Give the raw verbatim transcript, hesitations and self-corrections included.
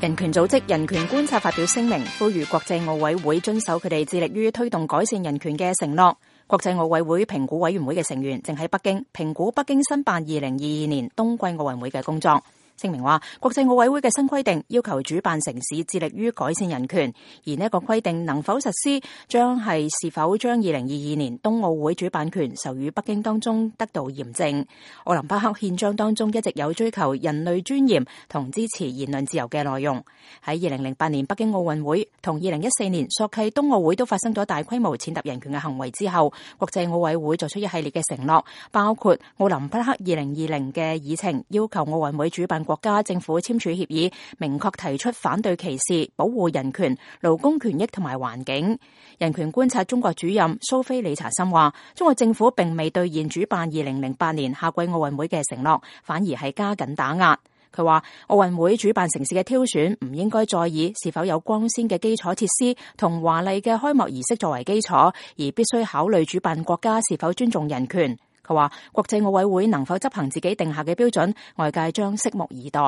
人權組織人權觀察發表聲明，呼籲國際奧委會遵守佢哋致力於推動改善人權嘅承諾。國際奧委會評估委員會嘅成員正喺北京評估北京申辦二零二二年冬季奧運會嘅工作。聲明話，國際奧委會嘅新規定要求主辦城市致力於改善人權，而呢一個規定能否實施，將係是否將二零二二年冬奧會主辦權授予北京當中得到驗證。奧林匹克憲章當中一直有追求人類尊嚴同支持言論自由嘅內容。喺二零零八年北京奧運會同二零一四年索契冬奧會都發生咗大規模踐踏人權嘅行為之後，國際奧委會作出一系列嘅承諾，包括奧林匹克二零二零嘅議程要求奧運會主辦國家政府簽署協議，明確提出反對歧視、保護人權、勞工權益同埋環境。人權觀察中國主任蘇菲理查森話，中國政府並未兌現主辦二零零八年夏季奧運會嘅承諾，反而係加緊打壓。佢話奧運會主辦城市嘅挑選唔應該再以是否有光鮮嘅基礎設施同華麗嘅開幕儀式作為基礎，而必須考慮主辦國家是否尊重人權。佢話國際奧委會能否執行自己定下嘅標準，外界將拭目以待。